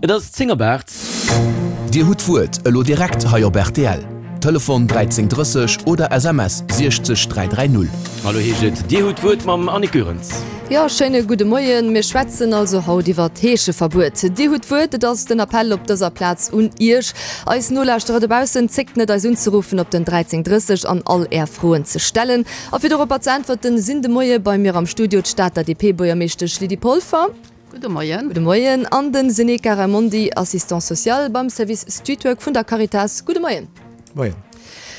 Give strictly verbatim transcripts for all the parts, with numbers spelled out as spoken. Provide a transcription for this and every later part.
Et ass zéng op aacht. Dir hutt d'Wuert elo direkt hei op rtl. Telefon dräizéng drësseg oder S M S siechzeg dräi dräi null. Elo heescht et Dir hutt d'Wuert mam Annick Goerens. Jo, schéine gudde Moien. Mir schwätzen also haut iwwer d'Heescheverbuet. Dir hutt d'Wuert, et ass den Appell op dëser Plaz un Iech, eis Nolauschterer dobaussen. Zéckt net eis unzeruffen op den dräizéng drësseg an all Är Froen ze stellen. A fir doropper ze äntwerten, sinn de Moie bei mir am Studio d'Stater D P-Buergermeeschtesch Lydie Polfer. Gudde Moien. Gudde Moien. An den Seneca Raimondi, Assistant social beim Service Streetwork vun der Caritas. Gudde Moien. Moien.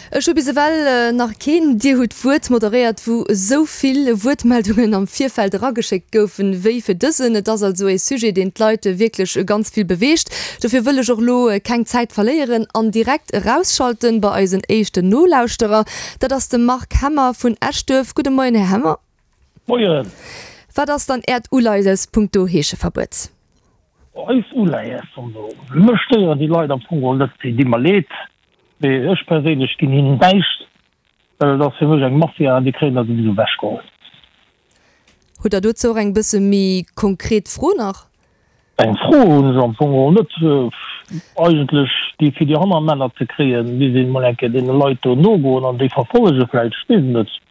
Ech hu bis ewell nach keen Dir hutt d'Wuert moderéiert, wou esou vill Wuertmeldungen am Virfeld erageschéckt goufen, wéi fir dësen. Et ass also ee Sujet, deen d'Leit wierklech ganz vill beweegt. Dofir wëll ech och elo keng Zäit verléieren an direkt erausschalten bei eisen éischten Nolauschterer. Dat ass de Marc Hemmer vun Eschduerf. Gudde Moien, Här Hemmer. Moien. Wat ass dann Äert Uleies punkto Heescheverbuet? Eist Uleies, also mech stéieren déi Leit am Fong geholl net, déi di mer leed, mee ech perséinlech ginn hinnen näischt, well et ass fir mech eng Mafia an déi kréien dat souwisou ewechgeholl. Hutt Der dozou och eng bësse méi konkret Fro nach? Eng Fro hunn ech am Fong geholl net. Eigentlech, déi fir déi Hannermänner ze kréien, misst een emol eng Kéier deene Leit do nogoen an déi verfollege vläicht, ech weess et net.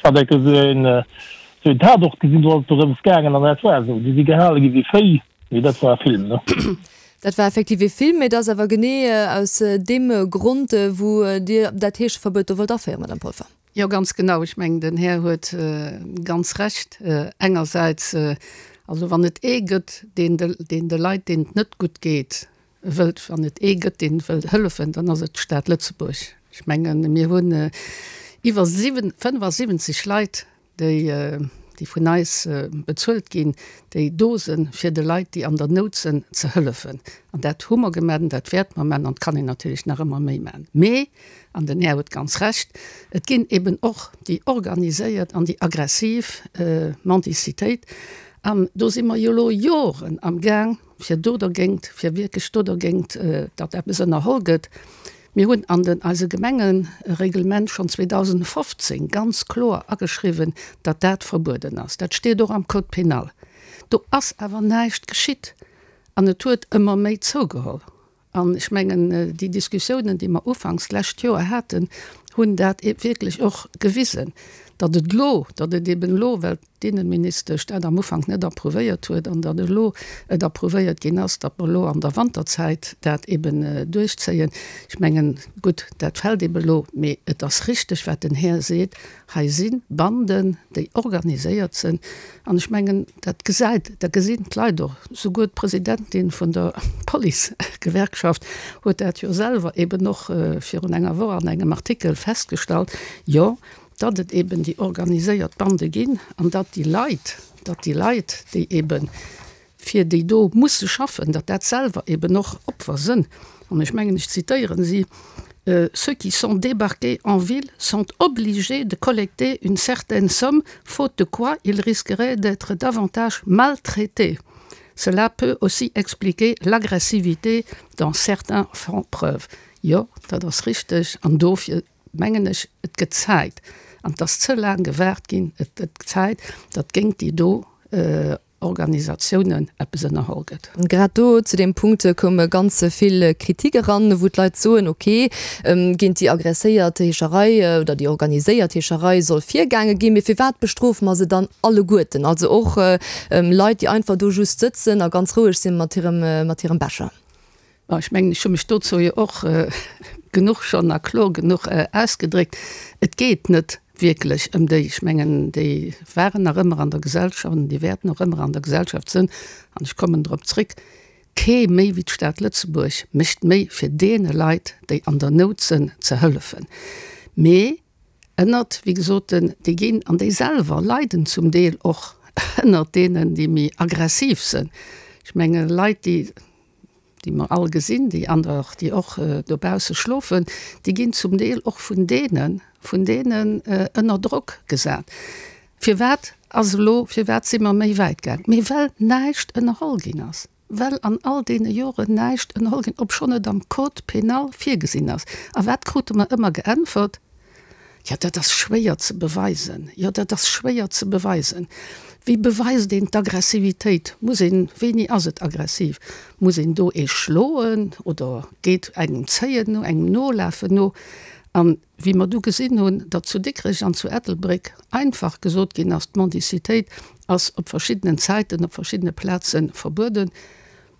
Ech hat eng Kéier esou een, esou een Tatort gesinn, do ass et dorëms gaangen an dat war esou, déi si gehale gi wéi Véi, mee dat war e Film, ne? Dat war effektiv e Film, mee et ass awer genee aus deem Grond, wou Dir dat Heescheverbuet do wollt aféieren, Madame Polfer. Jo, ganz genau. Ech mengen, den Här huet ganz Recht. Engersäits, also wann et ee gëtt, deen de, deen de Leit, deenen et net gutt geet, wëllt, wann et ee gëtt, deen wëllt hëllefen, dann ass et d'Stad Lëtzebuerg. Ech mengen, mir hunn iwwer fënnefasiwwenzeg Leit, déi, déi vun eis bezuelt ginn, déi do sinn, fir de Leit, déi an der Nout sinn, ze hëllefen. An dat hu mer gemaach an dat wäerte mer maachen an et kann een natierlech nach ëmmer méi maachen. Mee, an den Här huet ganz Recht, et ginn eben och déi organiséiert an déi aggressiv Mendicitéit. An do si mer jo elo Joren am Gaang, fir do dergéint, fir wierklech do dergéint, datt eppes ënnerholl gëtt. Mir hunn an den eise Gemengereglement schonn zweedausendfofzéng ganz kloer ageschriwwen, datt dat verbueden ass. Dat steet och am Code pénal. Do ass awer näischt geschitt an et huet ëmmer méi zougeholl. An ech mengen, déi Diskussiounen, déi mer ufanks d'lescht Joer haten, hunn dat wierklech och gewisen, datt et elo, datt et eben elo, well d'Innenministesch dat am Ufank net approuvéiert huet an datt elo et approuvéiert ginn ass, datt mer elo an der Wanterzäit dat eben duerchzéien. Ech mengen, gutt, dat fält eben elo, mee et ass richteg, wat den Här seet, hei si Banden, déi organiséiert sinn. An ech mengen, dat gesäit, dat gesinn d'Leit och. Souguer d'Presidentin vun der Policegewerkschaft huet dat jo selwer eben och virun enger Woch an engem Artikel festgestallt, jo, datt et eben déi organiséiert Bande ginn an datt déi Leit, datt déi Leit, déi ebe fir déi do musse schaffen, datt dat selwer eben och Opfer sënn. An ech mengen, ech zitéieren si, Ceux qui sont débarqués en ville sont obligés de collecter une certaine somme, faute de quoi ils risqueraient d'être davantage maltraités. Cela peut aussi expliquer l'agressivité dont certains font preuve. Jo, dat ass richteg an dofir mengen ech, et gëtt Zäit, an et ass ze laang gewaart ginn, et gëtt Zäit, datt géint déi do Organisatiounen eppes ënnerholl gëtt. Grad do zu deem Punkt koume ganz vill Kritik eran, wou d'Leit soen, ok, géint déi agresséiert Heescherei oder déi organiséiert Heescherei soll virgaange ginn, mee firwat bestrofe mer se dann alleguerten, also och Leit, déi einfach do just sëtzen a ganz roueg sinn mat hirem, mat hirem Becher? Bon, ech mengen, ech hu mech dozou jo och genuch schonn a kloer genuch ausgedréckt. Et geet net wierklech ëm déi. Ech mengen, déi waren nach ëmmer an der Gesellschaft an déi wäerten och ëmmer an der Gesellschaft sinn. An ech kommen drop zréck, Kee méi wéi d'Stad Lëtzebuerg mécht méi fir deene Leit, déi an der Nout sinn, ze hëllefen. Mee ënnert, wéi gesot, den, déi ginn, an déi selwer leiden zum Deel och ënnert deenen, déi méi aggressiv sinn. Ech mengen, Leit, déi, déi mer all gesinn, déi an der, déi och dobausse schlofen, déi ginn zum Deel och vun deenen, vun deenen ënner Drock gesat. Firwat ass elo, firwat si mer méi wäit gaang? Mee well näischt ënnerholl ginn ass, well an all deene Joren näischt ënnerholl ginn, obschonn et am Code pénal virgesinn ass. A wat krute mer ëmmer geäntwert? Jo, dat ass schwéier ze beweisen. Jo, dat ass schwéier ze beweisen. Wéi beweist een d'Aggressivitéit? Muss een, wéini ass et aggressiv? Muss een do ee schloen oder geet engem zéien no, engem nolafen no? An wéi mer du gesinn hunn, datt zu Dikrech an zu Ettelbréck einfach gesot ginn ass, d'Mendicitéit ass op verschiddenen Zäiten op verschiddene Plaze verbueden,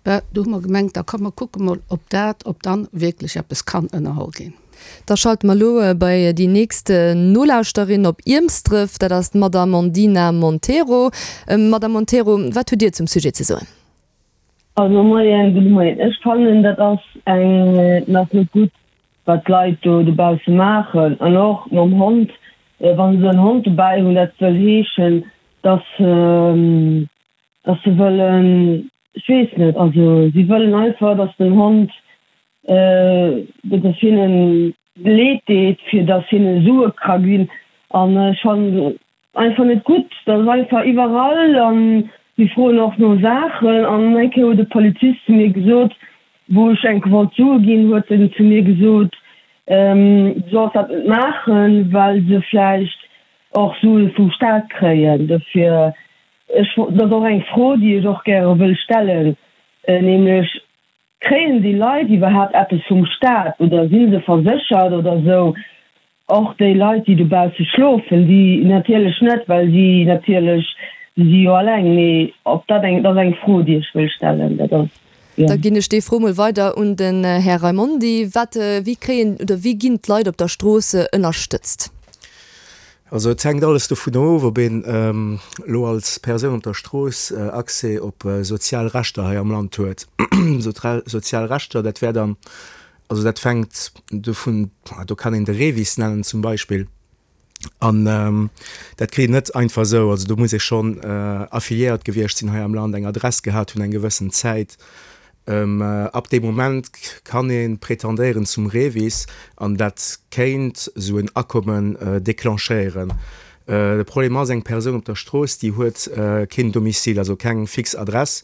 Bah, do hu mer gemengt, da komm mer kucke mol, ob dat, ob dann wierklech eppes kann ënnerholl ginn. Da schalte mer elo bei déi nächst Nolauschterin op Iermsdref, dat ass d'Madame Ondina Monteiro. Madame Monteiro, wat hutt Dir zum Sujet ze soen? Also moien, gudde Moien. Ech fannen dat ass eng, dat ass net gutt wat d'Leit do dobausse maachen an och mam Hond, wa se en Hond dobäi hunn, dat wëll heeschen, dass se, dass se wëllen, ech weess net, also si wëllen einfach, dass den Hond, dass hinnen leed deet, fir dass hinne Sue ka ginn an ech fannen einfach net gutt, dat ass einfach iwwerall an si froen och no Saachen an eng Kéier huet e Polizist zu mir gesot, wou ech eng Kéier wollt Sue ginn, huet en zu mir gesot, du solls dat net maachen, well se vläicht och Sue vum Staat kréien dofir. Ech, dat ass och eng Fro, déi ech och gäre wëll stellen, nämlech, Kréien déi Leit iwwerhaapt eppes vum Staat oder si se verséchert oder esou? Och déi Leit, déi dobausse schlofen, déi natierlech net, well si natierlech, si si jo alleng. Mee ob dat eng, dat ass eng Fro, déi ech wëll stellen. Dat ass, jo. Da ginn ech déi Fro mol weider un den Här Raimondi. Wat, wéi kréien oder wéi ginn d'Leit op der Strooss ënnerstëtzt? Also et hänkt alles dovun of, ob een elo als Persoun op der Strooss Accès op sozial Rechter hei am Land huet. Sozial Rechter, dat wär dann, also dat fänkt dovun, do kann een de REVIS nennen zum Beispill, an dat kritt een net einfach esou. Also do muss ee schonn affiliéiert gewiescht sinn hei am Land, eng Adress gehat hunn eng gewëssen Zäit. Ab deem Moment kann ee pretendéieren zum REVIS an dat kéint esou en Akommen declenchéieren. De Problem ass, eng Persoun op der Strooss, déi huet keen Domicile, also keng fix Adress.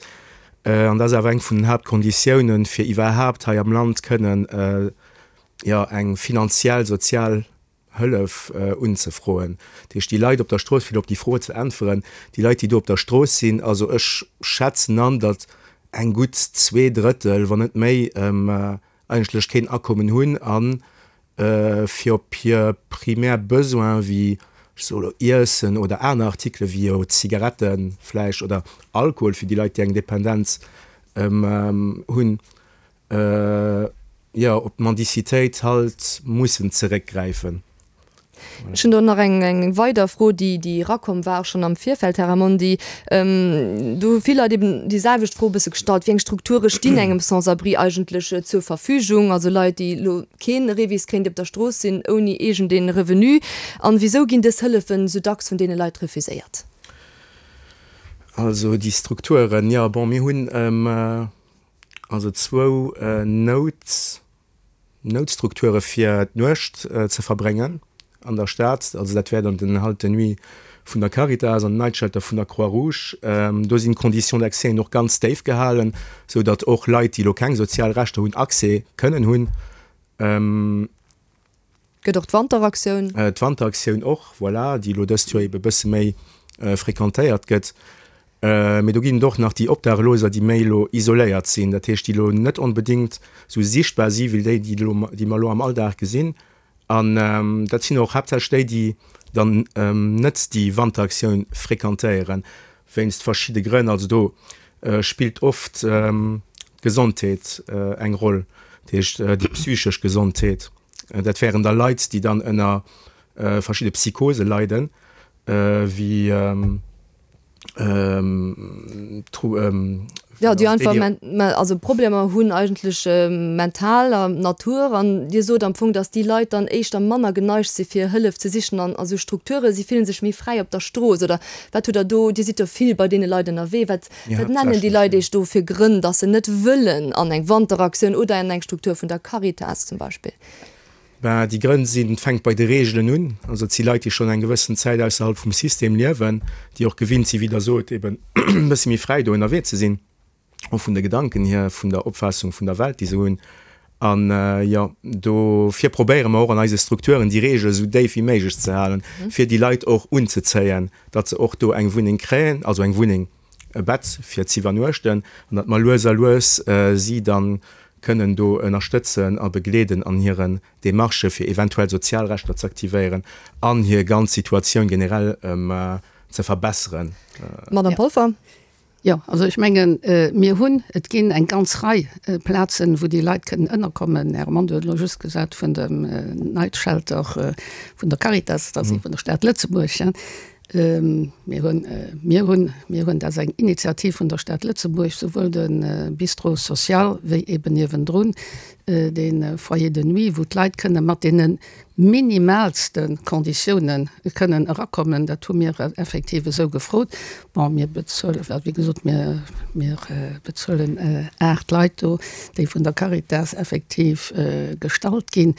An dat ass awer eng vun den Haaptkonditiounen, fir iwwerhaapt hei am Land kënnen, jo, eng finanziell, sozial Hëllef unzefroen. Dat heescht, déi Leit op der Strooss, fir op déi Fro ze äntweren, déi Leit, déi do op der Strooss sinn, also ech schätzen an, datt eng gutt zwee Drëttel, wann net méi, eigentlech keen Akommen hunn a fir op hir primär Besoinen, wéi, ech soe lo, Iessen oder aner Artikele wéi jo Zigarette vläicht oder Alkohol fir déi Leit, déi eng Dependenz hunn, jo, op d'Mendicitéit halt mussen zeréckgräifen. Ech hunn do nach eng eng weider Fro, déi déi erakomm war schonn am Virfeld, Här Raimondi. Do hu vill Leit eben déi selwecht Fro e bësse gestallt, Wéi eng Strukture stinn engem Sans-abri eigentlech zur Verfügung, also Leit, déi elo kee REVIS kréien, déi op der Strooss sinn, ouni iergendee Revenu? An wisou ginn dës Hëllefen esou dacks vun deene Leit refuséiert? Also déi Strukturen, jo, bon, mir hunn also zwou Nout. Noutstrukture fir d'Nuecht ze verbréngen an der Stad. Also dat wär dann den Halte de nuit vun der Caritas an den Night Shelter vun der Croix-Rouge. Do sinn d'Conditions d'accès och ganz déif gehalen, sou datt och Leit, déi elo keng sozial Rechter hunn, Accès kënnen hunn. Gëtt och d'Wanteraktioun. D'Wanteraktioun och, voilà, déi elo dëst Joer ebe bësse méi fréquentéiert gëtt. Mee do ginn et och nach déi Obdachloser, déi méi elo isoléiert sinn, dat heescht, déi elo net onbedéngt esou sichtbar si wéi déi, déi elo, déi mer elo am Alldag gesinn. An dat sinn och haaptsächlech déi, déi dann net déi Wanteraktioun fréquentéieren, wéinst verschidde Grënn. Also do spillt oft d'Gesondheet eng Roll, dat heescht déi psychesch Gesondheet. Dat wären da Leit, déi dann ënner verschidde Psychose leiden, wéi Jo, déi einfach also Problemer hunn eigentlech mentaler Natur. An Dir sot am Fong, datt déi Leit dann éischter manner geneigt si fir Hëllef ze sichen an a sou Strukturen. Si fillen sech méi fräi op der Strooss. Oder wat hutt Der do, Dir sidd jo vill bei deene Leit ënnerwee, wat wat nennen déi Leit Iech do fir Grënn, datt se net wëllen an eng Wanteraktioun oder an eng Struktur vun der Caritas zum Beispill? Ben, déi Grënn sinn, et fänkt bei de Reegelen un. Also et si Leit, déi schonn eng gewëssen Zäit ausserhalb vum System liewen, déi och gewinnt sinn, wéi Der sot, eben e bësse méi fräi do ënnerwee ze sinn, och vun de Gedanken hier, vun der Opfaassung vun der Welt, déi se hunn. An jo, dofir probéiere mer och an eise Strukturen déi Reegel esou déif wéi méiglech ze halen, fir déi Leit och unzezéien, datt se och do eng Wunneng kréien, also eng Wunneng, e Bett fir z'iwwernuechten, an datt mer lues a lues si dann kënnen do ënnerstëtzen a begleeden an hiren Demarchë fir eventuell sozial Rechter ze aktivéieren an hir ganz Situatioun generell ze verbesseren. Madame Polfer. Jo, also ech mengen, mir hunn, et ginn eng ganz Rei Plazen, wou déi Leit kënnen ënnerkommen. Här Armando huet elo just gesat vun dem Night Shelter vun der Caritas, dat ass ee vun der Stad Lëtzebuerg. Mir hunn, mir hunn, mir hunn, dat ass eng Initiativ vun der Stad Lëtzebuerg, souwuel de Bistrot social wéi eben niewendrun dee Foyer de nuit, wou d'Leit kënne mat deene minimalste Konditiounen kënnen erakommen. Dat hu mir effektiv esou gefrot. Bon, mir bezuelen, well wéi gesot, mir, mir bezuelen aacht Leit do, déi vun der Caritas effektiv gestallt ginn.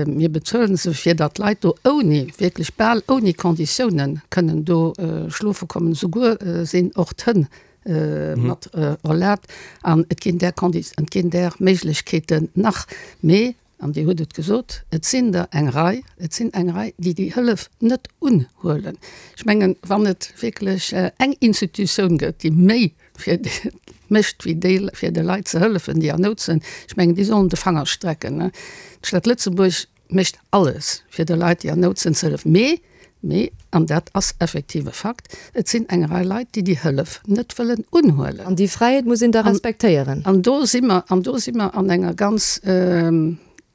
Mir bezuelen se, fir datt d'Leit do ouni, wierklech bal ouni Konditiounen kënnen do schlofe kommen. Souguer sinn och d'Hënn mat erlaabt. An et ginn där Kondi, et ginn där Méiglechkeeten nach. Mee An Dir hutt et gesot, et sinn der eng Rei, et sinn eng Rei, déi déi Hëllef net unhuelen. Ech mengen, wann et wierklech eng Institutioun gëtt, déi méi fir mécht wéi déi, fir de Leit ze hëllefen, déi an Nout sinn, ech mengen, déi sollen de Fanger strecken. D'Stad Lëtzebuerg mécht alles, fir de Leit, déi an Nout sinn, ze hëllefen. Mee Mee, an dat ass effektiv e Fakt, et sinn eng Rei Leit, déi déi Hëllef net wëllen unhuelen. An déi Fräiheet muss een da respektéieren. An do si mer, an do si mer an enger ganz,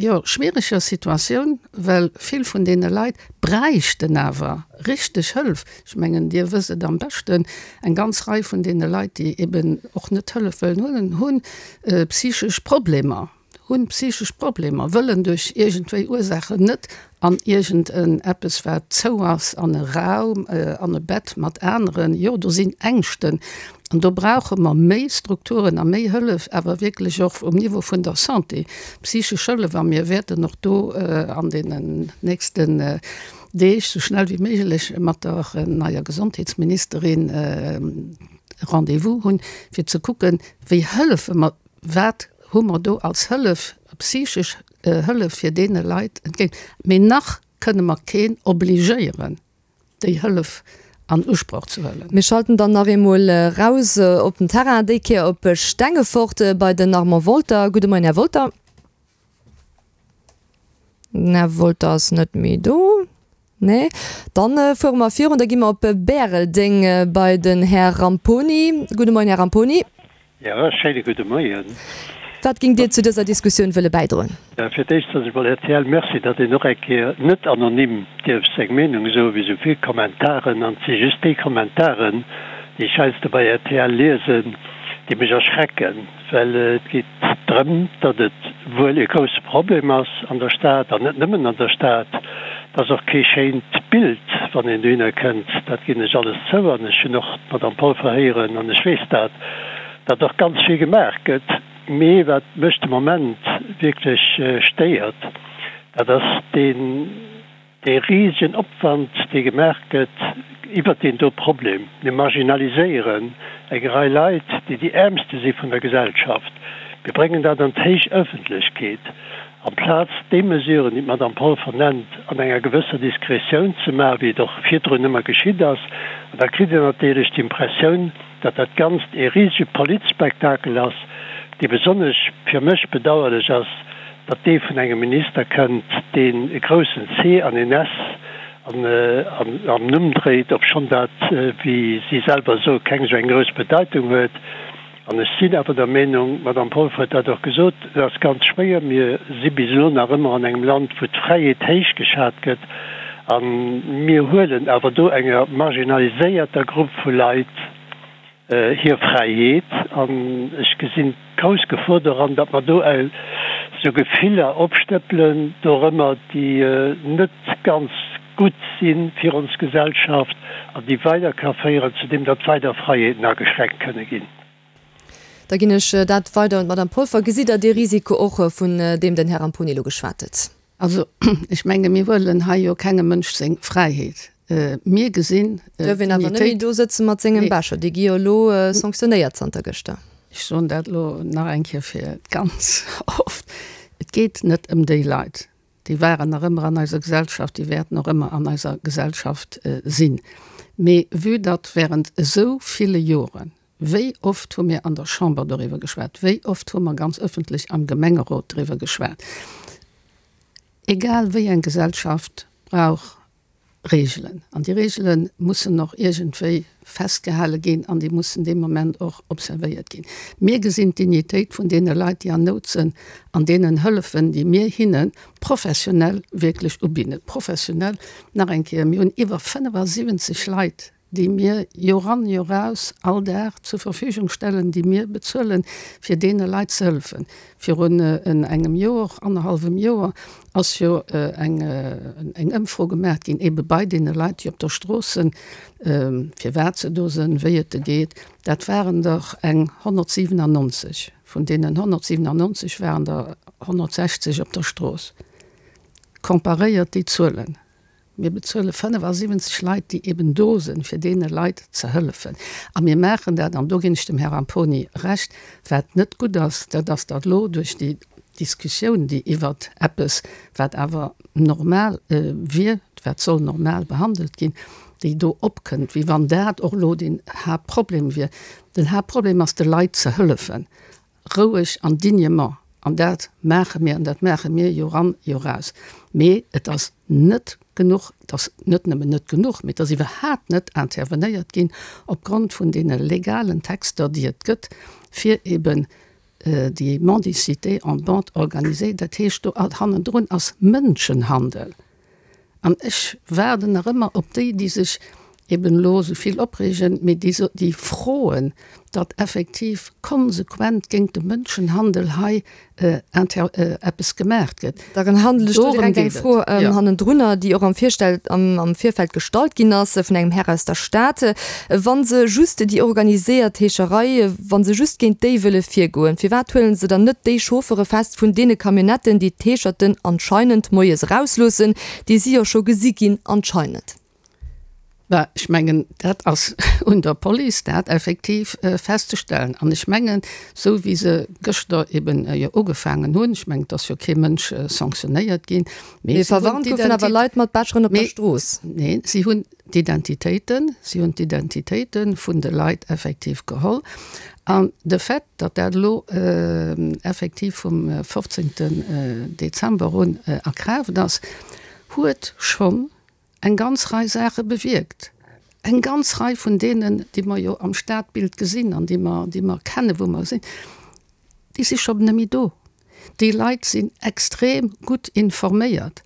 jo, schwiereger Situatioun, well vill vun deene Leit bräichten awer richteg Hëllef. Ech mengen, Dir wësst et am beschten, eng ganz Rei vun deene Leit, déi eben och net Hëllef wëllen huelen, hu psychesch Problemer. Hunn psychesch Problemer, wëllen duerch iergendwéi Ursaachen net an iergend en eppes wat zou ass, an e Raum, an e Bett mat aneren. Jo, do sinn Ängschten an do brauche mer méi Strukturen a méi Hëllef, awer wierklech och um Niveau vun der Santé, psychesch Hëllef. A mir wäerten och do an deenen nächsten Deeg sou schnell wéi méiglech mat der neier Gesondheetsministerin e Rendez-vous hunn, fir ze kucken, wéi hëllefe mer, wat hu mer do als Hëllef, psychesch Hëllef fir deene Leit entgéint. Mee nach kënne mer keen obligéieren, déi Hëllef an Usproch ze huelen. Mir schalten dann nach eemol raus op den Terrain, déi Kéier op Stengefort bei den Armand Wolter. Gudde Moien, Här Wolter. Den Här Wolter ass net méi do. Nee, dann fuere mer virun, da gi mer op Bäreldeng bei den Här Ramponi. Gudde Moien, Här Ramponi. Jo, schéine gudde Moien. Wat géingt Dir zu dëser Diskussioun wëlle bäidroen? Jo, fir d'éischt soen ech mol rtl Merci, datt een och eng Kéier net anonym dierf seng Meenung soen, wéi esou vill Kommentaren. An et si just déi Kommentaren, déi ech heiansdo bei rtl liesen, déi mech erschrecken, well et geet drëm, datt et wuel e grousse Problem ass an der Stad, an net nëmmen an der Stad. Et ass och kee schéint Bild, wann een dohinner kënnt, dat ginn ech alles zou. An ech hunn och d'Madame Polfer héieren an ech weess dat, datt och ganz vill gemaach gëtt. Mee wat mech de Moment wierklech stéiert, dat ass deen, dee risegen Opwand, dee gemaach gëtt iwwert deen do Problem. Mir marginaliséieren eng Rei Leit, déi déi Äermste si vun der Gesellschaft. Mir bréngen dat an d'héich Ëffentlechkeet, amplaz déi Mesuren, déi d'Madame Polfer nennt, an enger gewësser Diskretioun ze maachen, wéi et och virdrun ëmmer geschitt ass. An da kritt een natierlech d'Impressioun, datt dat Ganzt ee risege Politspektakel ass, dee besonnesch fir mech bedauerlech ass, datt dee vun engem Minister kënnt, deen e groussen C an een S am Numm dréit, obschonn dat, wéi si selwer soe, keng esou eng grouss Bedeitung huet. An ech sinn awer der Meenung, d'Madame Polfer huet dat och gesot, et ass ganz schwéier, mir si bis elo nach ëmmer an engem Land, wou d'Fräiheet héich geschat gëtt, a mir huelen awer do enger marginaliséierter Grupp vu Leit hir Fräiheet. An ech gesinn d'grouss Gefor doran, datt mer do esou Gefiller opstëppelen dorëmmer, déi net ganz gutt si fir ons Gesellschaft an déi weider ka féieren zu deem, datt weider Fräiheeten ageschränkt kënne ginn. Da ginn ech dat weider un d'Madame Polfer. Gesitt Der dee Risiko och, vun deem den Här Ramponi elo geschwat huet? Also, ech menge mir huelen hei jo kengem Mënsch seng Fräiheet. Mir gesinn Duerf een awer net méi do sëtze mat sengem Becher. Déi gi jo elo sanktionéiert zanter gëschter. Ech soen dat elo nach eng Kéier fir ganz oft, Et Et geet net ëm déi Leit. Déi waren nach ëmmer an eiser Gesellschaft, déi wäerten och ëmmer an eiser Gesellschaft sinn. Mee vue datt während esou ville Joren, wéi oft hu mir an der Chamber doriwwer geschwat, wéi oft hu mer ganz ëffentlech am Gemengerot driwwer geschwat, egal wéi eng Gesellschaft brauch Reegelen. An déi Reegele mussen och iergendwéi festgehale ginn an déi mussen dee Moment och observéiert ginn. Mir gesinn d'Dignitéit vun deene Leit, déi an Nout sënn, an deenen Hëllefen, déi mir hinne professionell wierklech ubidden. Professionell, nach eng Kéier, mir hunn iwwer fënnefasiwwenzeg Leit, déi mir joran joraus all Dag zur Verfügung stellen, déi mir bezuelen, fir deene Leit ze hëllefen. Virun engem Joer, annerhallwem Joer ass jo eng Ëmfro gemaach ginn, eebe bei deene Leit, déi op der Strooss sinn, firwat se do sinn, wéi et de geet. Dat waren der eng honnertsiwenannonzeg. Vun deenen honnertsiwenannonzeg waren der honnertsechzeg op der Strooss. Comparéiert déi Zuelen. Mir bezuele fënnefasiwwenzeg Leit, déi eben do sinn, fir deene Leit ze hëllefen. A mir maachen dat, an do ginn ech dem Här Ramponi Recht, wat net gutt ass, dat ass, datt elo duerch déi Diskussioun, déi iwwert eppes, wat awer normal wier, wat soll normal behandelt ginn, déi do opkënnt, wéi wann dat och elo den Haaptproblem wier. Den Haaptproblem ass, de Leit ze hëllefen. Roueg an dignement. An dat maache mir, an dat maache mir joran, joraus. Mee et ass net genuch, et ass net nëmmen net genuch, mee et ass iwwerhaapt net intervenéiert ginn opgrond vun deene legalen Texter, déi et gëtt, fir eben déi Mendicité en bande organisée, dat heescht, do hannendrun ass Mënschenhandel. An ech waarden nach ëmmer op déi, déi sech eben elo esou vill opreegen, mee déi, déi froen, datt effektiv konsequent géint de Mënschenhandel hei inter, eppes gemaacht gëtt. Da handele ech do Dorëm direkt eng geet et, Fro jo. hannendrunner, déi och am Virstell, am, am Virfeld gestallt ginn ass vun engem Här aus der Stad. Wa se just déi organiséiert Heescherei, wa se just géint déi wëlle virgoen, firwat huele se dann net déi Chauffere fest vun deene Camionnetten, déi d'Heescherten anscheinend moies erausloossen, déi si jo scho gesi ginn anscheinend? Bah, ech mengen, dat ass un der Police, dat effektiv festzestellen. An ech mengen, esou wéi se gëschter eben jo ugefaangen hunn, ech mengen, et ass jo kee Mënsch sanctionéiert ginn, mee Mee si hunn verwarnt goufen awer d'Identi-, Leit mat Becheren op der mee, Strooss. neen, si hunn d'Identitéiten, si hunn d'Identitéite vun de Leit effektiv geholl. An de Fait, datt dat elo effektiv vum fofzéngten Dezember un a Kraaft ass, huet schonn eng ganz Rei Saache bewierkt, eng ganz Rei vun deenen, déi mer jo am Stadbild gesinn an déi mer, déi mer kennen, wou mer sinn, déi si scho net méi do. Déi Leit sinn extrem gutt informéiert.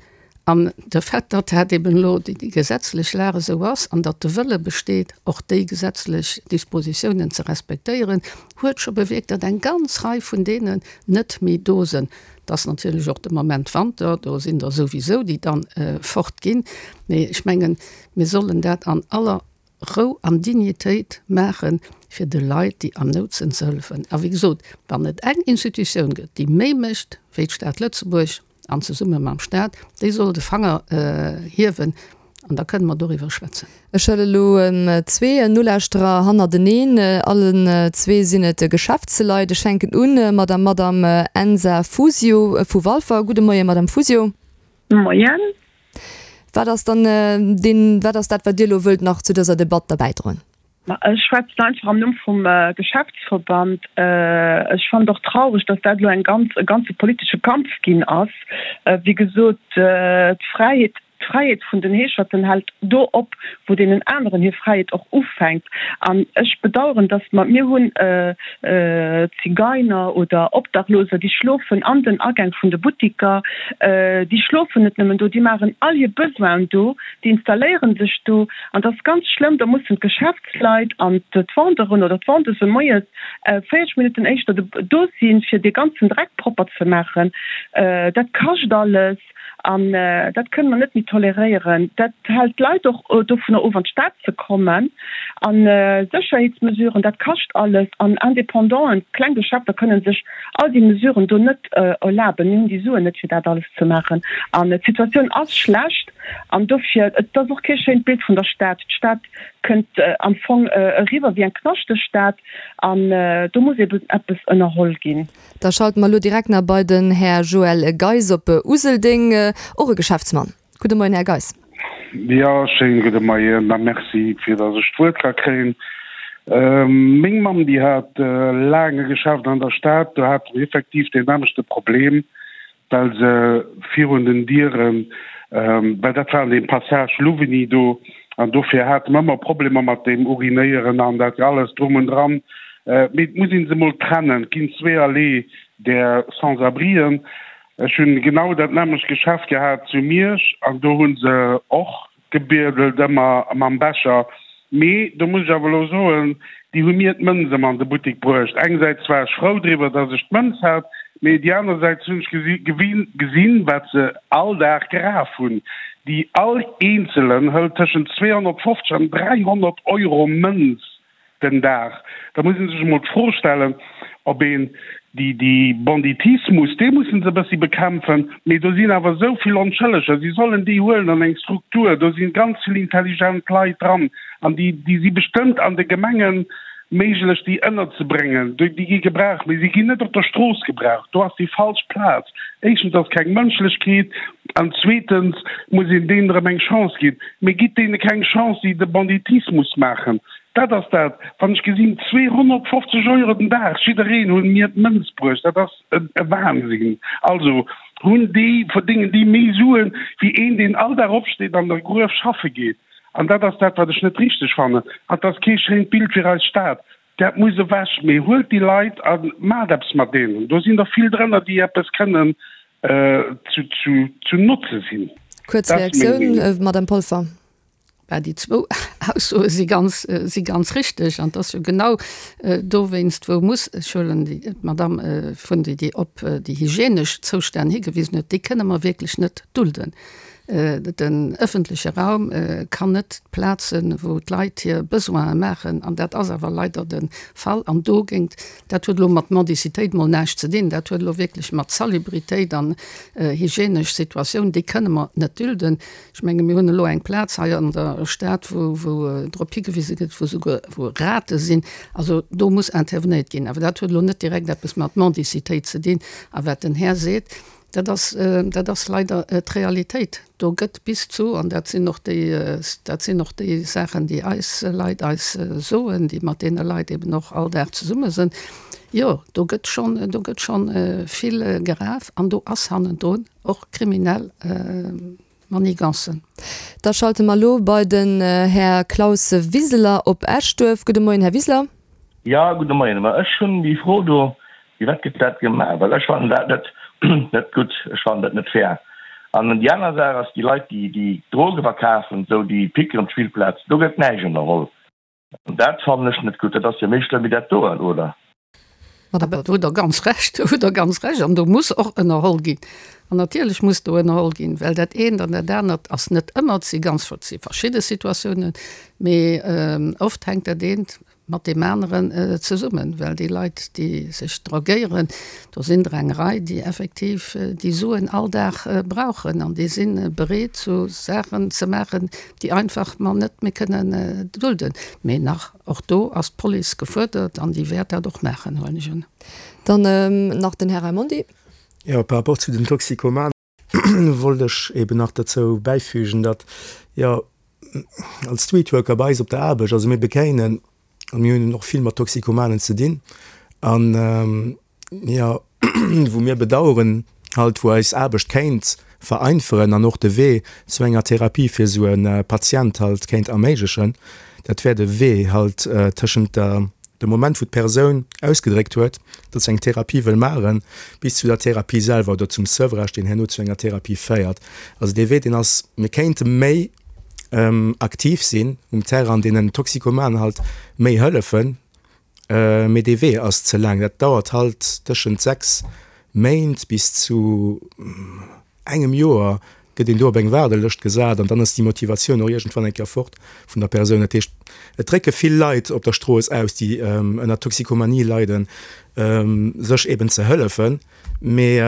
An de Fait, datt dat eben elo déi gesetzlech Lag esou ass an datt de Wëlle besteet, och déi gesetzlech Dispositiounen ze respektéieren, huet scho bewierkt, datt eng ganz Rei vun deenen net méi do sinn. Et ass natierlech och de Moment Wanter, do sinn der souwisou, déi dann fortginn. Mee ech mengen, mir sollen dat an aller Rou an Dignitéit maachen, fir de Leit, déi an Nout sinn, ze hëllefen. A wéi gesot, wann et eng Institutioun gëtt, déi méi mécht wéi d'Stad Lëtzebuerg an zesumme mam Stat, déi soll de Fanger hiewen an da kënne mer doriwwer schwätzen. Ech huele elo zwee Nolauschterer hannerteneen. Allen zwee sinn et Geschäftsleit. Ech fänken u mat der Madame Ensa Fusio vu Walfer. Gudde Moien, Madame Fusio. Moien. Wat ass dann deen, wat ass dat, wat Dir elo wëllt nach zu dëser Debatt derbäidroen? Ma ech schwätzen einfach am Numm vum Geschäftsverband. Ech fannen et och traureg, dass dat elo eng ganz, e ganze politesche Kampf ginn ass. Wéi gesot, d'Fräiheet, d'Fräiheet vun den Heescherten hält do op, wou deenen aneren hir Fräiheet och ufänkt. An ech bedauern, dass mer, mir hunn Zigeiner oder Obdachloser, déi schlofen an den Agäng vun de Buttiker, déi schlofen net nëmmen do, déi maachen all hir Besoinen do, déi installéiere sech do. An dat ass ganz schlëmm, da mussen d'Geschäftsleit an d'Vendeuren oder d'Vendeuse moies véierzeg Minutten éischter do sinn, fir dee ganzen Dreck propper ze maachen. Dat kascht alles an dat kënne mer net méi toleréieren. toleréieren. Dat hält d'Leit och dovunner of, an d'Stad ze kommen. A Sécherheetsmesuren, dat kascht alles. An Indépendanten, kleng Geschäfter kënnen sech all déi Mesuren do net erlaben. Mir hunn déi Suen net, fir dat alles ze maachen. An d'Situatioun ass schlecht. An dofir, et ass och kee schéint Bild vun der Stad. D'Stad kënnt am Fong eriwwer wéi eng knaschteg Stad. An do muss eben eppes ënnerholl ginn. Da schalte mer elo direkt nach bei den Här Joël Geis op Useldeng, och e Geschäftsmann. Gudde Moien, Här Geis. Jo, schéine gudde Moien a Merci, fir datt ech d'Wuert ka kréien. Meng Mamm, déi hat laang e Geschäft an der Stad. Do hate mir effektiv deen nämmlechte Problem, well se virun den Dieren, well dat war an deem Passage Louvigny do, an dofir hate mer ëmmer Problemer mat deem Urinéieren an dat alles drum und dran. Mee et muss ee se emol trennen. Et ginn zweeërlee där Sans-abrien. Ech hunn genau dat nämmlecht Geschäft gehat zu Miersch an do hu se och gebiedelt ëmmer mam Becher. Mee do muss ech awer elo soen, déi hu mir d'Mënz ëmmer an de Buttek bruecht. Engsäits war ech frou driwwer, datt ech d'Mënz hat, mee déi anersäits hunn ech gesinn, wat se all Dag geraf hunn. Déi all eenzelen hëlt tëschent zweehonnertfofzeg an dräihonnert Euro Mënz den Dag. Da muss ee sech emol d'Fro stellen, ob een déi, déi Banditismus, dee mussen se e bëssi bekämpfen, mee do sinn awer esou vill Onschëlleger, si sollen déi huelen an eng Struktur, do si ganz vill intelligent Leit dran an déi, déi si bestëmmt an de Gemenge méiglech déi ënnerzebréngen. Déi gi gebraucht, mee si ginn net op der Strooss gebraucht, do ass déi falsch Plaz. Éischtens ass keng Mënschlechkeet an zweetens muss een deenen erëm eng Chance ginn. Mee gitt deene keng Chance, déi de Banditismus maachen. Dat ass dat, wann ech gesinn, zweehonnertfofzeg Euro den Dag, jiddereen hunn mir d'Mënz bruecht, dat ass e Wahnsinn. Also hunn déi, verdéngen déi méi Suen, wéi een, deen all Dag opsteet an der Gruef schaffe geet. An dat ass dat, wat ech net richteg fannen. An et ass kee schéint Bild fir eis Stad. Dat muss ewech. Mee huelt déi Leit a maacht eppes mat deenen. Do sinn der vill drënner, déi eppes kënnen zu Notze sinn. Kuerz Reaktioun, Madame Polfer. Bah, déi zwou Aussoe si ganz, si ganz richteg. An et ass jo genau dowéinst, wou muss, ech huelen déi, d'Madame vun déi, déi op déi hygienesch Zoustänn higewisen huet, déi kënne mer wierklech net dulden. Den ëffentleche Raum kann net d'Plaz sinn, wou d'Leit hir Besoine maachen. An dat ass awer leider de Fall. An dogéint, dat huet elo mat Mendicitéit mol näischt ze dinn, dat huet elo wierklech mat Salubritéit an hygienesch Situatioun, déi kënne mer net dulden. Ech menge mir hunn elo eng Plaz hei an der Stad, wou, wou drop higewise gëtt, wou souguer, wou Rate sinn. Also do muss intervenéiert ginn. Awer dat huet elo net direkt eppes mat Mendicitéit ze dinn. A wat den Här seet, Dat ass, dat ass leider d'Realitéit. Do gëtt bis zu, an dat sinn och déi, dat sinn och déi Saachen, déi eis Leit eis soen, déi mat deene Leit eben och all Dag zesumme sinn, jo, do gëtt schonn, do gëtt schonn vill geraf an do ass hannendrun och kriminell Manigancen. Da schalte mer elo bei den Här Klaus Wiseler op Eschduerf. Gudde Moien, Här Wiseler. Jo, gudde Moien. Ma ech hunn déi Fro do, Firwat gëtt dat gemaach? Well ech fannen dat net net gutt, ech fannen dat net fair. An déi aner Saach ass, déi Leit, déi déi Droge verkafen, esou déi picken op d'Spillplaz, do gëtt näischt ënnerholl. An dat fannen ech net gutt. Dat ass jo méi schlëmm wéi dat doen, oder? Awer do hutt Der ganz Recht, do hutt Der ganz Recht. An do muss och ënnerholl ginn. An natierlech muss do ënnerholl ginn, well dat eent an dat anert ass net ëmmer, et si ganz, et si verschidde Situatiounen, mee oft hänkt dat eent mat deem aneren zesummen, well déi Leit, déi sech drogéieren, do sinn der eng Rei, déi effektiv déi Suen all Dag brauchen an déi si bereet, sou Saachen ze maachen, déi einfach mer net méi kënnen dulden. Mee nach och do ass d'Police gefuerdert an déi wäert dat och maachen, huelen ech un. Dann nach den Här Raimondi. Jo, par rapport zu den Toxikomanen wollt ech eben nach derzou bäifügen, datt, jo, als Streetworker bei eis op der Aarbecht, also mir bekéinen, a mir hunn och vill mat Toxikomanen ze dinn, an jo, wou mir bedauern halt, wou eis Aarbecht kéint vereinferen an och de Wee zu enger Therapie fir esou e Patient halt kéint erméiglechen, dat wär de Wee halt tëschent der, dem Moment wou d'Persoun ausgedréckt huet, datt se eng Therapie wëll maachen, bis zu der Therapie selwer oder zum Sevrage, deen herno zu enger Therapie féiert. Also dee Wee, deen ass, mir kéinte méi aktiv sinn um Terrain, deenen Toxikomanen halt méi hëllefen, mee dee Wee ass ze laang. Dat dauert halt tëschent sechs Méint bis zu engem Joer, gëtt een do op eng Waardelëscht gesat an dann ass déi Motivatioun och iergendwann eng Kéier fort vun der Persoun. Dat heescht, et drécke vill Leit op der Strooss aus, déi ënner Toxikomanie leiden, sech eben ze hëllefen. Mee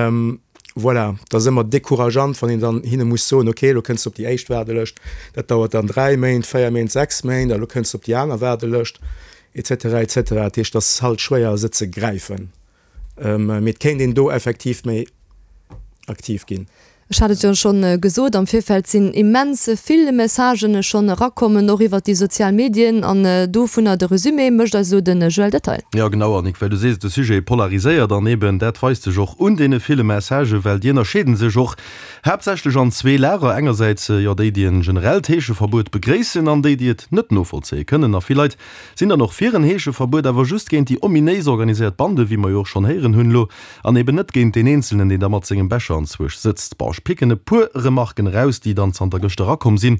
voilà, et ass ëmmer decourageant, wann een dann hinne muss soen, okay, elo kënns de op déi éischt Waardelëscht, dat dauert dann dräi Méint, véier Méint, sechs Méint, a lo kënns de op déi aner Waardelëscht, et cetera, et cetera. Dat heescht, et ass halt schwéier, se ze gräifen. Mee et kéint een do effektiv méi aktiv ginn. Ech hat et jo schonn gesot, am Virfeld sinn immens vill Messagen schonn erakommen, och iwwert déi sozial Medien. An dovunner de Resumé mécht eis elo de Joël Detail. Jo genau, Annick, well du sees, de Sujet polariséiert an eben dat weist sech och un deene ville Messagen, well déi ënnerscheeden sech och haaptsächlech an zwee Lager, engersäits jo déi, déi en generellt Heescheverbuet begréissen an déi, déi et net novollzéie kënnen. A vill Leit sinn dann och fir en Heescheverbuet, awer just géint déi ominéis organiséiert Bande, wéi mer jo och schonn héieren hunn elo, an eben net géint deen Eenzelnen, deen da mat sengem Becher anzwuesch sëtzt. Bon, ech picken e puer Remarken eraus, déi dann zanter gëschter erakomm sinn.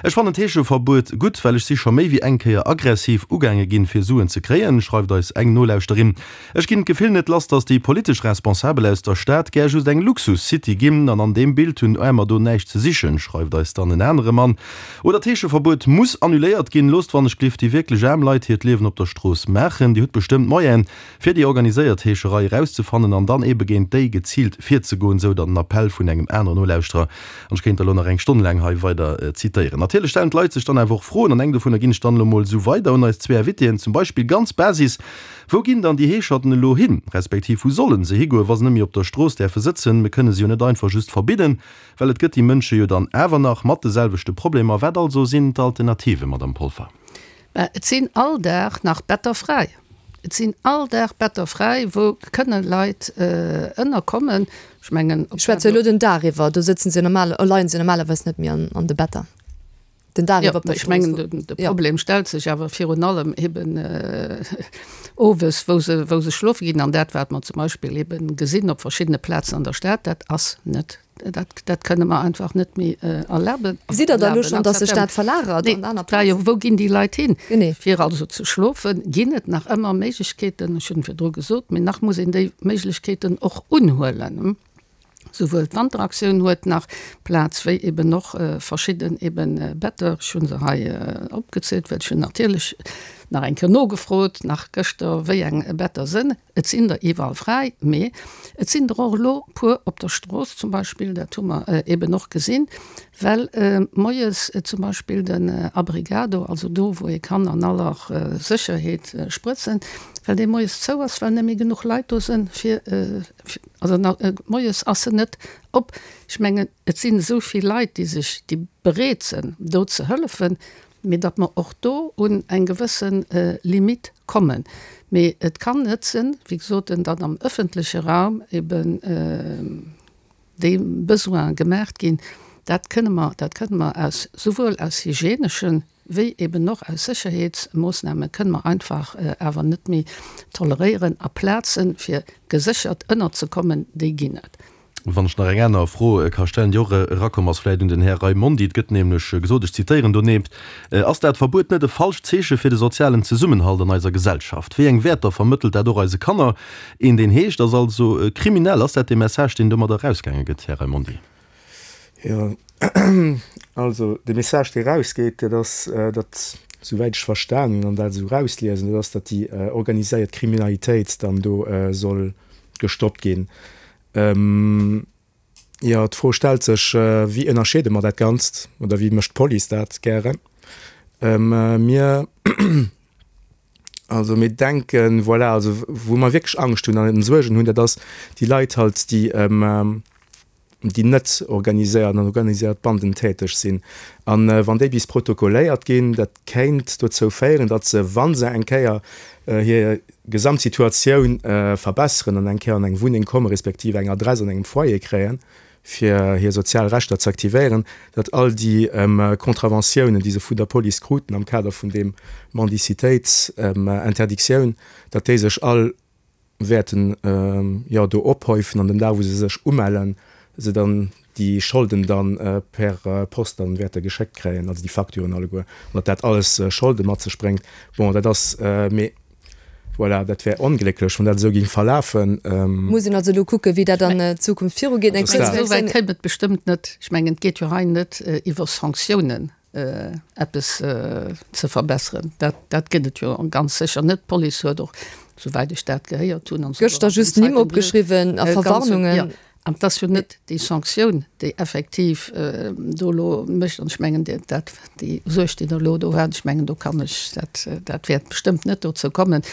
Ech fannen d'Heescheverbuet gutt, well ech si scho méi wéi eng Kéier aggressiv ugaange ginn, fir Suen ze kréien, schreift eis eng Nolauschterin. Ech ginn d'Gefill net lass, dass déi politesch Responsabel aus der Stad gär just eng Luxus-City ginn, an an deem Bild hunn Aarmer do näischt ze sichen, schreift eis dann en anere Mann. Oder d'Heescheverbuet muss annuléiert ginn, loosst wannechglift déi wierklech aarm Leit hiert Liewen op der Strooss maachen. Dir hutt bestëmmt Moyene, fir déi organiséiert Heescherei erauszefannen an dann ebe géint déi geziilt virzegoen, sou dann den Appell vun engem aneren Nolauschterer. An ech kéint der elo nach eng Stonn laang hei weider zitéieren. Natierlech stellen d'Leit sech dann awer och Froen, an eng dovunner ginn ech dann elo mol esou weider un eis zwee Invitéen. Zum Beispill ganz Basis, Wou ginn dann déi Heescherten elo hin, respektiv wou sollen se higoen, wa se net méi op der Strooss däerfe sëtzen? Mir kënne se jo net einfach just verbidden, well et gëtt déi Mënsche jo dann awer nach mat de selwechte Problemer. Wat also sinn d'Alternativen, Madamm Polfer? Mä et sinn all Dag nach Better fräi. Et sinn all Dag Better fräi, wou kënne Leit ënnerkommen. Ech mengen, Ech schwätze elo den Dag iwwer, do sëtzen se normal, leien se normalerweis net méi an de Better. Den Dag iwwer op der Ech mengen, Strooss. de Problem stellt sech awer virun allem eben owes, wou se, wou se schlofe ginn. An dat, wat mer zum Beispill eben gesinn op verschiddene Plazen an der Stad, dat ass net Dat, dat kënne mer einfach net méi erlaben. Gesitt Der da elo schonn, datt sech dat verlagert an aner Plazen? Nee, wou ginn déi Leit hin? Fir also ze schlofen, ginn et nach ëmmer Méiglechkeeten, ech hunn virdru gesot, mee nach muss een déi Méiglechkeeten och unhuelen. Souwuel d'Wanteraktioun huet nach Plaz, wéi eben och verschidden eben Better. Ech hu se hei opgezielt, well ech hunn natierlech nach eng Kéier nogefrot, nach gëschter, wéi eng Better sënn. Et sinn der iwwerall fräi, mee et sinn der och elo puer op der Strooss zum Beispill, dat hu mer eben och gesinn, well moies zum Beispill den Abrigado, also do wou ee kann an aller Sécherheet sprëtzen, well dee moies zou ass, well net méi genuch Leit do sënn fir, also moies ass en net op. Ech mengen, et sinn esou vill Leit, déi sech, déi bereet sënn do ze hëllefen, mee datt mer och do un eng gewësse Limite kommen. Mee et kann net sinn, wéi gesot, datt am öffentleche Raum eben déi Besoine gemaacht ginn. Dat kënne mer, dat kënne mer aus, souwuel aus hygienesche wéi eben och aus Sécherheetsmoossname kënne mer einfach awer net méi toleréieren. A Plazen, fir geséchert ënnerzekommen, déi ginn et. Wann ech nach eng aner Fro ka stellen, déi och erakomm ass, vläicht un den Här Raimondi. Et gëtt nämlech gesot, ech zitéieren donieft, Ass dat Verbuet net e falscht Zeeche fir de sozialen Zesummenhalt an eiser Gesellschaft? Wéi eng Wäerter vermëttelt dat och eise Kanner? Een, deen heescht, ass also kriminell. Ass dat dee Message, deen domadder erausgaange gëtt, Här Raimondi? Jo, also de Message, dee erausgeet, dat ass, datt, souwäit ech verstan hunn an dat esou erausliesen, dat ass, datt déi organiséiert Kriminalitéit dann do soll gestoppt ginn. Jo, d'Fro stellt sech, wéi ënnerscheede mer dat Ganzt oder wéi mécht d'Police dat gären? Mir, also mir denken, voilà, also wou mer wierklech Angscht hunn an Suergen hunn, dat ass déi Leit halt, déi, déi net organiséiert an organiséiert Banden täteg sinn. An wann déi bis protokolléiert ginn, dat kéint dozou féieren, datt se, wa se eng Kéier hir Gesamtsituatioun verbesseren an eng Kéier an eng Wunneng kommen, respektiv eng Adress an engem Foyer kréien, fir hir sozial Rechter ze aktivéieren, datt all déi Contraventiounen, déi se vun der Police kruten am Kader vun deem Mendicitéitsinterdictioun, datt déi sech all wäerten jo do ophäufen an den Dag wou se sech umellen, se dann déi Scholden dann per Post dann wäerte geschéckt kréien, also déi Facturen alleguer, an datt dat alles Scholde mat sech bréngt. Bon, dat ass, mee Voilà, dat wär onglécklech, wann dat esou géing verlafen. Muss een also elo kucken, wéi dat an Zukunft virugeet. Eng kuerz Esou wäit kéim et bestëmmt net. Ech mengen, et geet jo hei net iwwer Sanktiounen eppes ze verbesseren. Dat, dat gëtt et jo ganz sécher net. D'Police huet och, souwäit ech dat gehéiert hunn, an Gëschter just Nimm opgeschriwwen a Verwarnungen. Jo, an et ass jo net déi Sanktioun, déi effektiv do elo mécht. An ech mengen, dat, déi Suerg, déi Der elo do hat, ech mengen, do kann ech, dat, dat wäert bestëmmt net dozou kommen.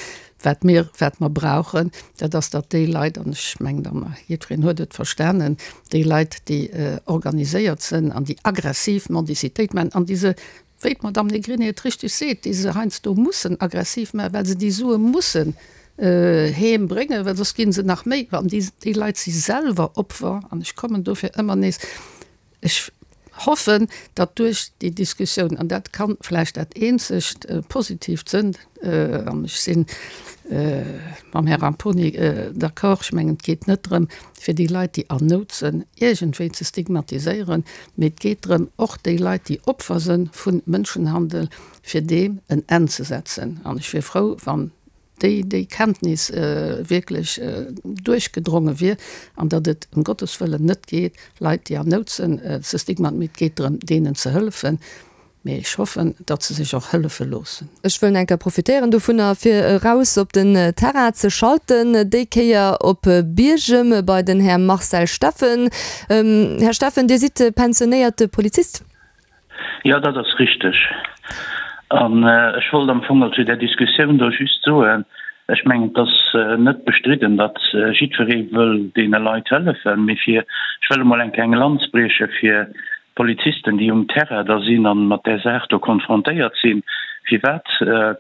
Wat mir, wat mer brauchen, dat ass, datt déi Leit, an ech mengen, dann, jiddwereen huet et verstanen, déi Leit, déi organiséiert sinn an déi aggressiv Mendicitéit maachen an déi se, wéi d'Madame Negrini et richtig seet, déi se heiansdo mussen aggressiv maachen, well se déi Sue mussen heem bréngen, well soss gi se nach méi, an déi, déi Leit si selwer Opfer, an ech kommen dofir ëmmer nees, ech hoffen, datt duerch déi Diskussioun, an dat ka vläicht dat eenzegt Positiivt sënn, an ech si mam Här Ramponi d'accord, ech mengen, et geet net drëm, fir déi Leit, déi an Nout sënn, iergendwéi ze stigmatiséieren, mee et geet drëm, och déi Leit, déi Opfer sënn vu Mënschenhandel, fir deem en Enn ze setzen. An ech wier frou, wann déi déi Kenntnis wierklech duerchgedronge wier an datt et ëm Gottes Wëllen net geet, Leit, déi an Nout sinn, ze stigmat, mee et geet drëm, deenen ze hëllefen. Mee ech hoffen, datt se sech och hëllefe loossen. Ech wëll enker profitéieren dovunner, fir eraus op den Terrain ze schalten, déi Kéier op Biergem bei den Här Marcel Steffen. Här Steffen, Dir sidd pensionéierte Polizist. Jo, dat ass richteg. An ech wollt am Fong zu där Diskussioun do just soen, ech mengen, et ass net bestridden, datt jiddweree wëll deene Leit hëllefen, mee fir, ech wëll emol eng kleng Lanz brieche fir d'Polizisten, déi um Terrain da sinn a mat där Saach do konfrontéiert sinn, firwat,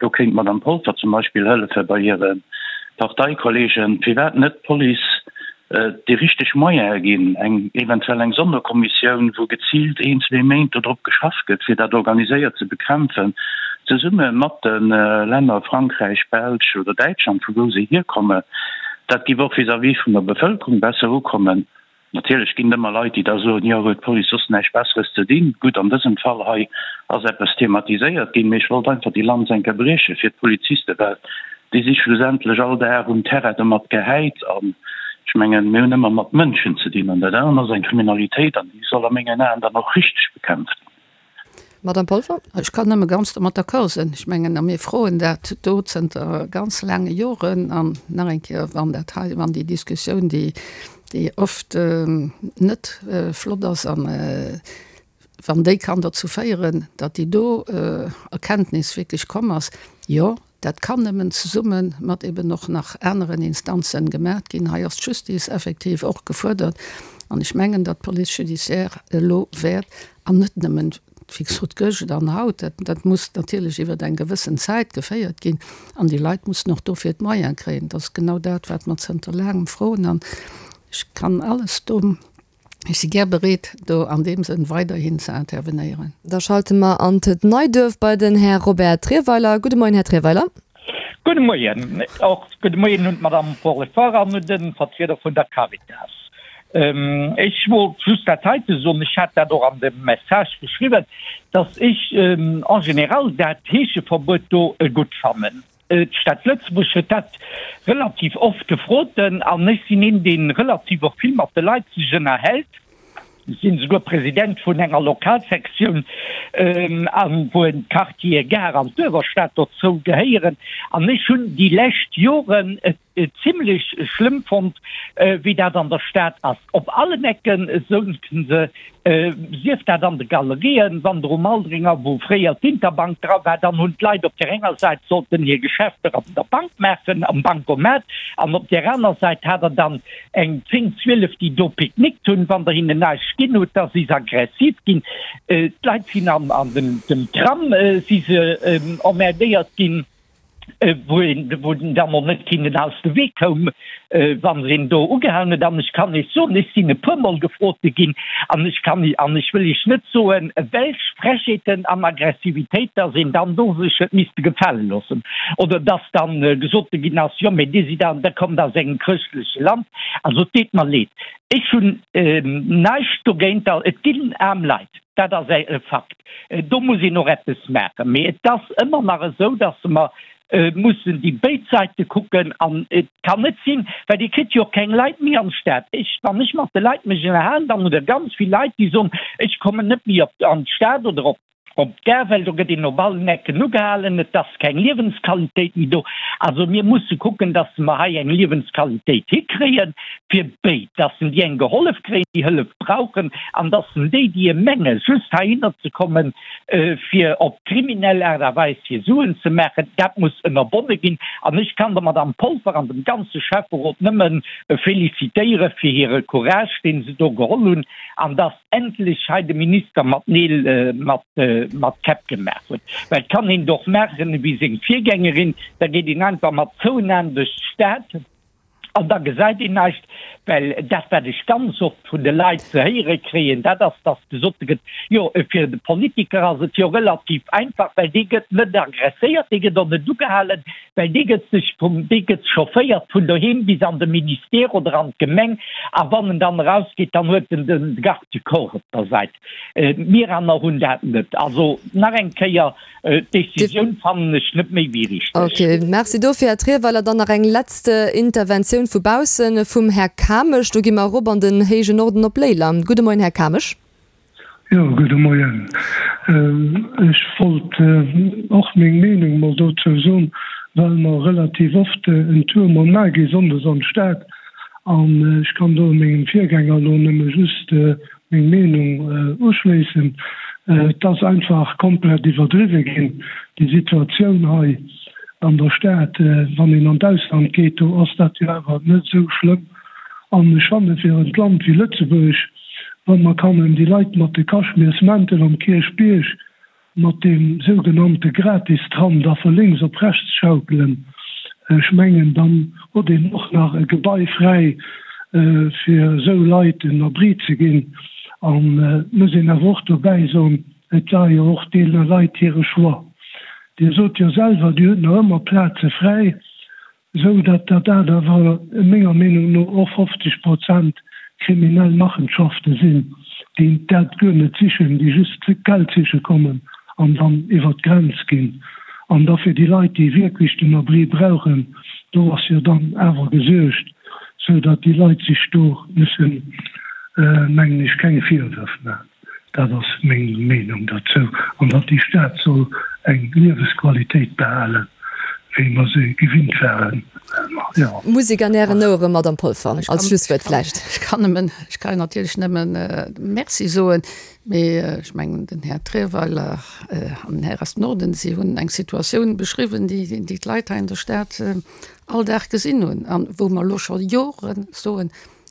do kéint d'Madame Polfer zum Beispill hëllefe bei hire Parteikollegen, firwat net d'Police déi richteg Moyene ginn, eng eventuell eng Sonderkommissioun, wou geziilt een, zwee Méint dodrop geschafft gëtt, fir dat organiséiert ze bekämpfen, zesumme mat de Länner Frankräich, Belsch oder Däitschland, vu wou se hierkommen. Dat géif och vis-à-vis vun der Bevëlkerung besser ukommen. Natierlech ginn et ëmmer Leit, déi da soen, jo, huet d'Police soss näischt Besseres ze dinn. Gutt, an dësem Fall hei ass eppes thematiséiert ginn, mee ech wollt einfach déi Lanz eng Kéier brieche fir d'Polizisten, well déi si schlussendlech all Dag um Terrain domat gehäit. An ech mengen, mir hunn ëmmer mat Mënschen ze dinn an dat anert ass eng Kriminalitéit an déi soll a mengen Aen dann och richteg bekämpft ginn. Madame Polfer. Ech kann nëmme ganz domat d'accord sinn. Ech mengen, a mir froen dat do zënter ganz laange Joren. An nach eng Kéier, wann dat hei, wann déi Diskussioun, déi, déi oft net flott ass, an wann déi kann dozou féieren, datt déi do Erkenntnis wierklech komm ass, jo, dat kann nëmmen zesumme mat eben och nach aneren Instanzen gemaach ginn. Hei ass d'Justice effektiv och gefuerdert. An ech mengen, datt d'Police judiciaire elo wäert, an net nëmmen, wéi gesot, gëscht an haut, dat, dat muss natierlech iwwer eng gewëssen Zäit geféiert ginn an déi Leit mussen och dofir d'Moyene kréien. Dat ass genau dat, wat mer zënter laangem froen an ech kann alles do, ech si gär bereet, do an deem Sënn weiderhin ze intervenéieren. Da schalte mer an d'Neiduerf bei den Här Robert Trierweiler. Gudde Moien, Här Trierweiler. Gudde Moien. Och gudde Moien un d'Madame Paul-Lefort an un de Vertrieder vun der Caritas. Ech wollt just dat heite soen, ech hat dat och an dem Message geschriwwen, dass ech en général dat Heescheverbuet do gutt fannen. D'Stad Lëtzebuerg huet dat relativ oft gefrot an ech sinn een, dee relativ och vill mat de Leit sech ënnerhält. Ech sinn esouguer President vun enger Lokalsektioun, wou d'Quartiere Gare an d'Uewerstad dozou gehéieren. An ech hunn déi lescht Joren et zimlech schlëmm fonnt, wéi dat an der Stad ass. Op allen Ecke souzen se, sief dat an de Galerien, wann der um Aldringer, wou fréier d'Interbank dra war, dann hunn d'Leit op där enger Säit sollten hir Geschäfter an der Bank maachen, am Bancomat, an op där aner Säit hat der dann eng zéng, zwielef, déi do picknickt hunn. Wann der hinnen näischt ginn hutt, da si se aggressiv ginn. D'Leit sinn an dem Tram si se emmerdéiert ginn. wou een wou den dann och net hinnen aus de Wee koum, wa se een do ugehalen huet. An ech kann Iech soen, ech sinn e puermol gefrote ginn an ech kann an ech wëll Iech net soen, welch Frechheeten an Aggressivitéit dass een dann do sech huet misste gefale loossen oder dass dann gesot ginn ass, jo mee Dir sidd an, der kommt aus engem chrëschtleche Land. Also et deet mer leed, ech hunn näischt dogéint, et ginn aarm Leit, dat ass e Fakt, do muss een och eppes maachen, mee et ass ëmmer nach esou, dass mer mussen déi béid Säite kucken an et kann net sinn, well Dir kritt jo och keng Leit méi an d'Stad. Ech, wann ech mat de Leit mech ënnerhalen, dann hutt Der ganz vill Leit, déi soen, ech kommen net méi op an d'Stad oder op op d'Gare, well do gëtt een op allen Ecken ugehalen, et ass keng Liewensqualitéit méi do. Also mir musse kucken, dass mer hei eng Liewensqualitéit hikréien fir béid, dass en déi eng gehollef kréien, déi Hëllef brauchen, an dass en déi, déi e menge just heihinner ze kommen, fir op kriminell Aart a Weis hir Suen ze maachen, dat muss ënnerbonne ginn. An ech kann der Madame Polfer an dem ganze Schäfferot nëmme félicitéiere fir hire Courage, dee se do geholl hunn, an dass endlech hei de Minister mat Neel mat mat Käpp gemaach huet. Well et kann een et och maachen ewéi seng Virgängerin, da geet een einfach mat zouen Aen duerch d'Stad, An da gesäit een näischt, well dat, wat ech ganz oft vun de Leit ze héiere kréien, dat ass, dass gesot gëtt, jo, fir de Politiker ass et jo relativ einfach, well dee gëtt net agresséiert, dee gëtt och net ugehalen, well dee gëtt sech vum, dee gëtt chaufféiert vun doheem bis an de Ministère oder an d'Gemeng, a wann en dann erausgeet, dann huet en de Garde du corps op der Säit. Mir aner hunn dat net. Also nach eng Kéier, D'Décisioun fannen ech net méi wéi richteg. Ok, merci dofir, Här Trierweiler. Dann nach eng letzt Interventioun vu baussen, vum Här Kamesch. Do gi mer erop an den héijen Norden op Léiler. Gudde Moien, Här Kamesch. Jo, gudde Moien. Ech wollt och meng Meenung mol dozou soen, well mer relativ oft en Tour mol maache gi sonndes an d'Stad. An ech kann do mengem Virgänger elo nëmme just meng Meenung uschléissen. Et ass einfach komplett iwwerdriwwe ginn, déi Situatioun hei an der Stad. Wann een an d'Ausland geet, do ass dat jo awer net esou schlëmm. An ech fanne fir en Land wéi Lëtzebuerg, wa mer kannen déi Leit mat de Kaschmirsmäntel am Kierchbierg mat deem sougenannte Gratistram da vu lénks op rechts schaukelen, ech mengen, dann huet een och nach e Gebai fräi, fir esou Leit en Abri ze ginn. An et muss een awer och dobäi soen, et war jo och deene Leit hire Choix. Dir sot jo selwer, Dir hutt nach ëmmer Plaze fräi, esou datt dat dat awer menger Meenung no och fofzeg Prozent kriminell Machenschafte sinn, déi dat guer net sichen, déi just Geld siche kommen an dann iwwert d'Grenz ginn. An da fir déi Leit, déi wierklech den Abri brauchen, do ass jo dann awer gesuergt, sou datt déi Leit sech do mussen, mengen ech, keng Virwërf maachen. Dat ass meng Meenung derzou. An datt déi Stad soll eng Liewesqualitéit behalen, wéi mer se gewinnt waren. Jo. Musek an Ären Ouere, Madame Polfer, als Schlusswuert vläicht. Ech kann nëmmen, ech kann natierlech nëmmen Merci soen, mee ech mengen, den Här Trierweiler an den Här aus dem Norden, si hunn eng Situatioun beschriwwen, déi déi d'Leit hei an der Stad all Dag gesinn hunn an wou mer elo scho Jore soen,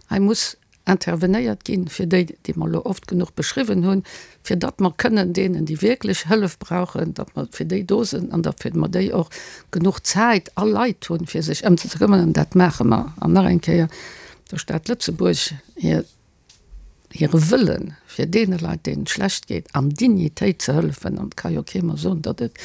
hei muss intervenéiert ginn, fir déi, déi mer elo oft genuch beschriwwen hunn, fir datt mer kënnen deenen, déi wierklech Hëllef brauchen, datt mer fir déi do sinn an datt mer déi och genuch Zäit a Leit hunn, fir sech ëm se ze këmmern. An dat maache mer. An nach eng Kéier, der Stad Lëtzebuerg hir hire Wëllen, fir deene Leit, deenen et schlecht geet, an Dignitéit ze hëllefen, an et ka jo kee mer soen, datt et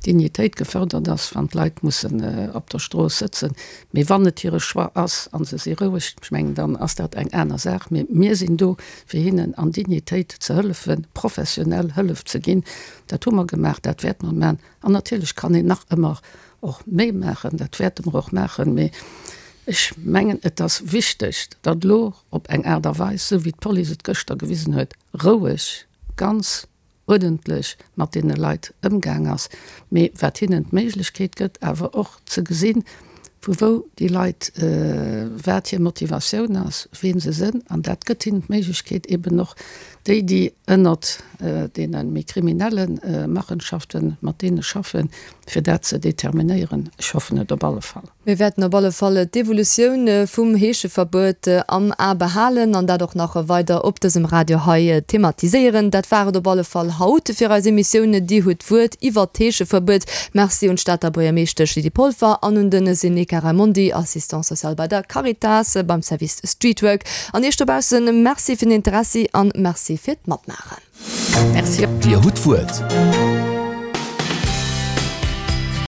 Dignitéit gefërdert ass, wann d'Leit mussen op der Strooss sëtzen, mee wann et hire Choix ass a se si roueg, ech mengen, dann ass dat eng aner Saach, mee mir sinn do, fir hinnen an Dignitéit ze hëllefen, professionell Hëllef ze ginn. Dat hu mer gemaach, dat wäerte mer maachen. An natierlech kann een nach ëmmer och méi maachen, dat wäerte mer och maachen, mee ech mengen, et ass wichteg, datt elo op eng Aart a Weis, esou wéi d'Police et gëschter gewisen huet, roueg, ganz uerdentlech mat deene Leit ëmgaang ass, mee wat hinnen d'Méiglechkeet gëtt, awer och ze gesinn, vu wou déi Leit, wat hir Motivatioun ass, wien se sënn. An dat gëtt hinnen d'Méiglechkeet eben och déi, déi ënnert deene méi kriminelle Machenschaften, mat deene schaffen, fir dat ze determinéieren. Ech hoffen et op alle Fall. Mir wäerten op alle Fall d'Evolutioun vum Heescheverbuet am A behalen an dat och nach weider op dësem Radio hei thematiséieren. Dat war et op alle Fall haut fir eis Emissioun Dir hutt d'Wuert iwwert d'Heescheverbuet. Merci un d'Stater Buergermeeschtesch Lydie Polfer an un de Seneca Raimondi, Assistant social bei der Caritas beim Service Streetwork. An Iech dobaussen Merci fir den Interessi an Merci fir d'Matmaachen. Merci. Dir hutt d'Wuert.